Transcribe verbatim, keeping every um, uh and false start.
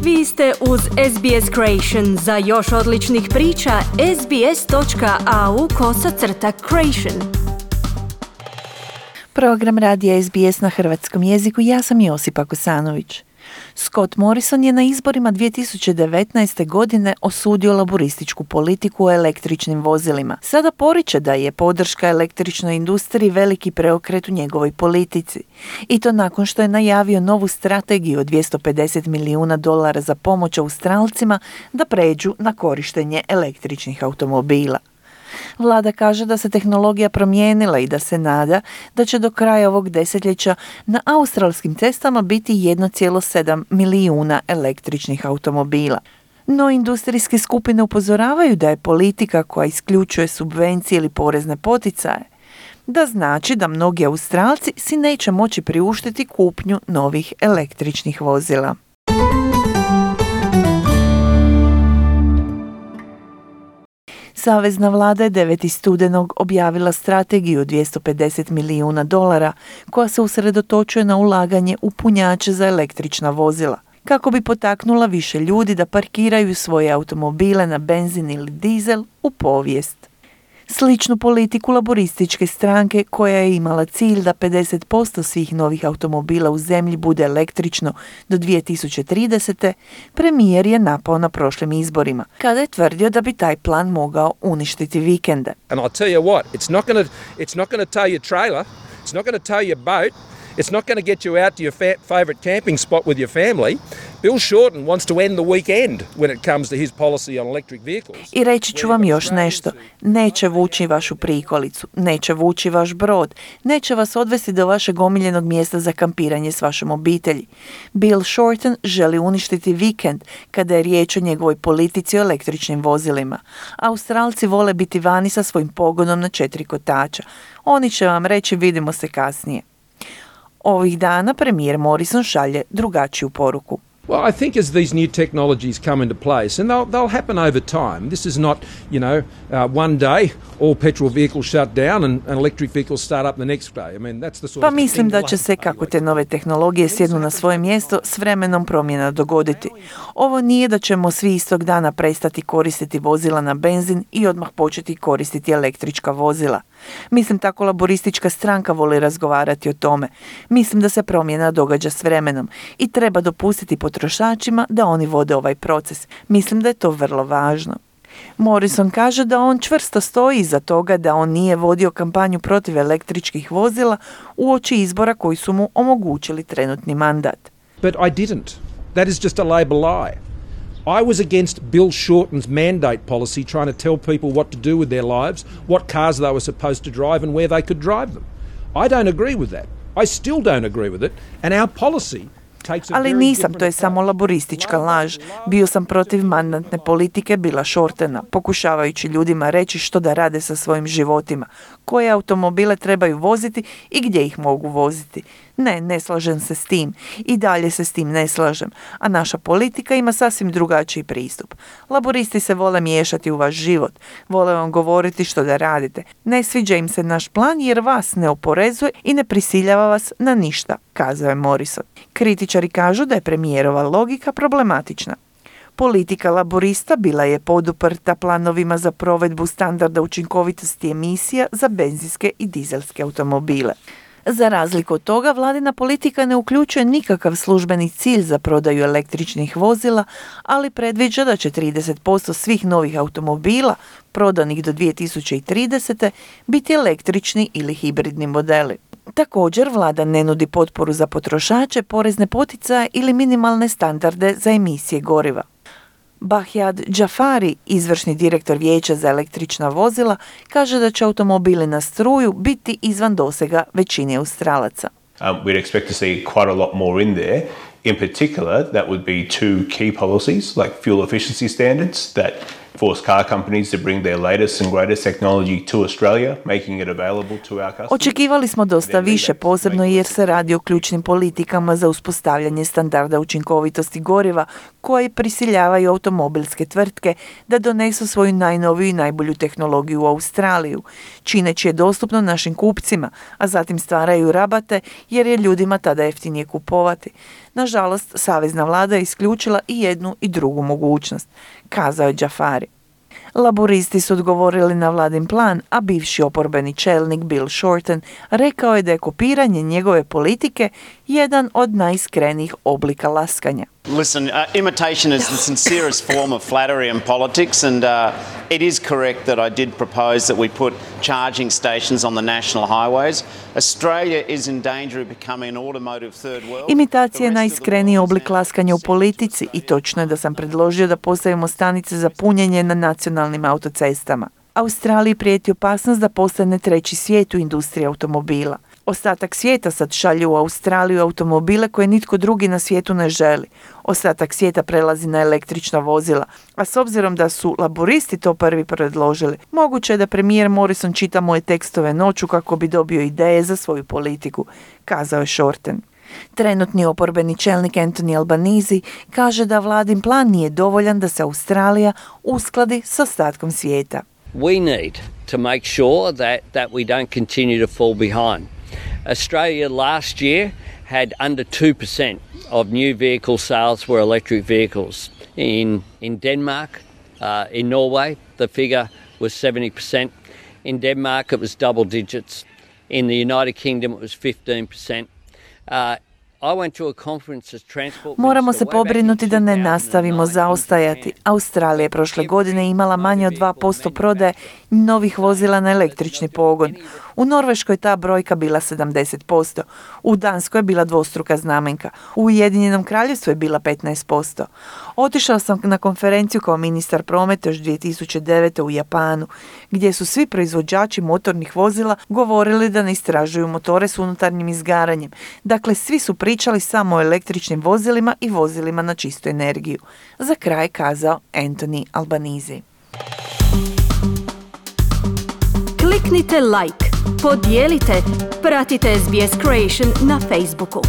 Vi ste uz S B S Creation. Za još odličnih priča, sbs.au kosacrta creation. Program radija S B S na hrvatskom jeziku. Ja sam Josipa Kosanović. Scott Morrison je na izborima dvije tisuće devetnaeste. godine osudio laburističku politiku o električnim vozilima. Sada poriče da je podrška električnoj industriji veliki preokret u njegovoj politici. I to nakon što je najavio novu strategiju od dvjesto pedeset milijuna dolara za pomoć Australcima da pređu na korištenje električnih automobila. Vlada kaže da se tehnologija promijenila i da se nada da će do kraja ovog desetljeća na australskim cestama biti jedan zarez sedam milijuna električnih automobila. No industrijske skupine upozoravaju da je politika koja isključuje subvencije ili porezne poticaje, da znači da mnogi Australci si neće moći priuštiti kupnju novih električnih vozila. Savezna vlada je devetog studenog objavila strategiju od dvjesto pedeset milijuna dolara koja se usredotočuje na ulaganje u punjače za električna vozila, kako bi potaknula više ljudi da parkiraju svoje automobile na benzin ili dizel u povijest. Sličnu politiku laborističke stranke, koja je imala cilj da pedeset posto svih novih automobila u zemlji bude električno do dvije tisuće tridesete. premijer je napao na prošlim izborima, kada je tvrdio da bi taj plan mogao uništiti vikende. And I'll tell you what, it's not going to it's not going to tow your trailer, it's not going to tow your boat, it's not going to get you out to your fa- favorite camping spot with your family. Bill Shorten wants to end the weekend when it comes to his policy on electric vehicles. I reći ću vam još nešto. Neće vući vašu prikolicu, neće vući vaš brod, neće vas odvesti do vašeg omiljenog mjesta za kampiranje s vašom obitelji. Bill Shorten želi uništiti vikend kada je riječ o njegovoj politici o električnim vozilima. Australci vole biti vani sa svojim pogonom na četiri kotača. Oni će vam reći vidimo se kasnije. Ovih dana premijer Morrison šalje drugačiju poruku. Well, I think as these new technologies come into place, and they'll, they'll happen over time, this is not, you know, uh, one day all petrol vehicles shut down and, and electric vehicles start up the next day. I mean, that's the sort Pa of mislim da će se, kako te nove tehnologije sjednu na svoje mjesto, s vremenom promjena dogoditi. Ovo nije da ćemo svi istog dana prestati koristiti vozila na benzin i odmah početi koristiti električka vozila. Mislim, tako laboristička stranka voli razgovarati o tome. Mislim da se promjena događa s vremenom i treba dopustiti potrošačima da oni vode ovaj proces. Mislim da je to vrlo važno. Morrison kaže da on čvrsto stoji iza toga da on nije vodio kampanju protiv električkih vozila uoči izbora koji su mu omogućili trenutni mandat. But I didn't. That is just a Labor lie. I was against Bill Shorten's mandate policy trying to tell people what to do with their lives, what cars they were supposed to drive and where they could drive them. I don't agree with that. I still don't agree with it, and our policy takes a Ali very nisam, different to je samo laboristička laž. Bio sam protiv mandatne politike Billa Shortena, pokušavajući ljudima reći što da rade sa svojim životima, koje automobile trebaju voziti i gdje ih mogu voziti. Ne, ne slažem se s tim. I dalje se s tim ne slažem. A naša politika ima sasvim drugačiji pristup. Laboristi se vole miješati u vaš život. Vole vam govoriti što da radite. Ne sviđa im se naš plan jer vas ne oporezuje i ne prisiljava vas na ništa, kazao je Morrison. Kritičari kažu da je premijerova logika problematična. Politika laborista bila je poduprta planovima za provedbu standarda učinkovitosti emisija za benzinske i dizelske automobile. Za razliku od toga, vladina politika ne uključuje nikakav službeni cilj za prodaju električnih vozila, ali predviđa da će trideset posto svih novih automobila prodanih do dvije tisuće tridesete. biti električni ili hibridni modeli. Također, vlada ne nudi potporu za potrošače, porezne poticaje ili minimalne standarde za emisije goriva. Bahjad Jafari, izvršni direktor Vijeća za električna vozila, kaže da će automobili na struju biti izvan dosega većine Australaca. Um, we'd expect to see quite a lot more in there. In particular, that would be two key policies like fuel efficiency standards that force car companies to bring their latest and greatest technology to Australia, making it available to our customers. Očekivali smo dosta više, posebno jer se radi o ključnim politikama za uspostavljanje standarda učinkovitosti goriva koji prisiljavaju automobilske tvrtke da donesu svoju najnoviju i najbolju tehnologiju u Australiju, čineći je dostupno našim kupcima, a zatim stvaraju rabate jer je ljudima tada jeftinije kupovati. Nažalost, savezna vlada je isključila i jednu i drugu mogućnost, kazao je Jafari. Laburisti su odgovorili na vladin plan, a bivši oporbeni čelnik Bill Shorten rekao je da je kopiranje njegove politike jedan od najiskrenijih oblika laskanja. Listen, uh, imitation is the sincerest form of flattery in politics, and uh, it is correct that I did propose that we put charging stations on the national highways. Australia is in danger of becoming an automotive third world. Imitacija je najiskreniji oblik laskanja u politici i točno je da sam predložio da postavimo stanice za punjenje na nacionalnim autocestama. Australiji prijeti opasnost da postane treći svijet u industriji automobila. Ostatak svijeta sad šalje u Australiju automobile koje nitko drugi na svijetu ne želi. Ostatak svijeta prelazi na električna vozila, a s obzirom da su laburisti to prvi predložili, moguće je da premijer Morrison čita moje tekstove noću kako bi dobio ideje za svoju politiku, kazao je Shorten. Trenutni oporbeni čelnik Anthony Albanese kaže da vladin plan nije dovoljan da se Australija uskladi s ostatkom svijeta. We need to make sure that, that we don't continue to fall behind. Australia last year had under two percent of new vehicle sales were electric vehicles. In, in Denmark, uh, in Norway, the figure was seventy percent. In Denmark, it was double digits. In the United Kingdom, it was fifteen percent. Uh, Moramo se pobrinuti da ne nastavimo zaostajati. Australija je prošle godine imala manje od dva posto prodaje novih vozila na električni pogon. U Norveškoj ta brojka bila sedamdeset posto. U Danskoj je bila dvostruka znamenka. U Ujedinjenom Kraljevstvu je bila petnaest posto. Otišao sam na konferenciju kao ministar prometa još dvije tisuće devete. u Japanu, gdje su svi proizvođači motornih vozila govorili da ne istražuju motore s unutarnjim izgaranjem. Dakle, svi su pričali samo o električnim vozilima i vozilima na čistu energiju. Za kraj kazao Anthony Albanese. Kliknite like, podijelite, pratite S B S Creation na Facebooku.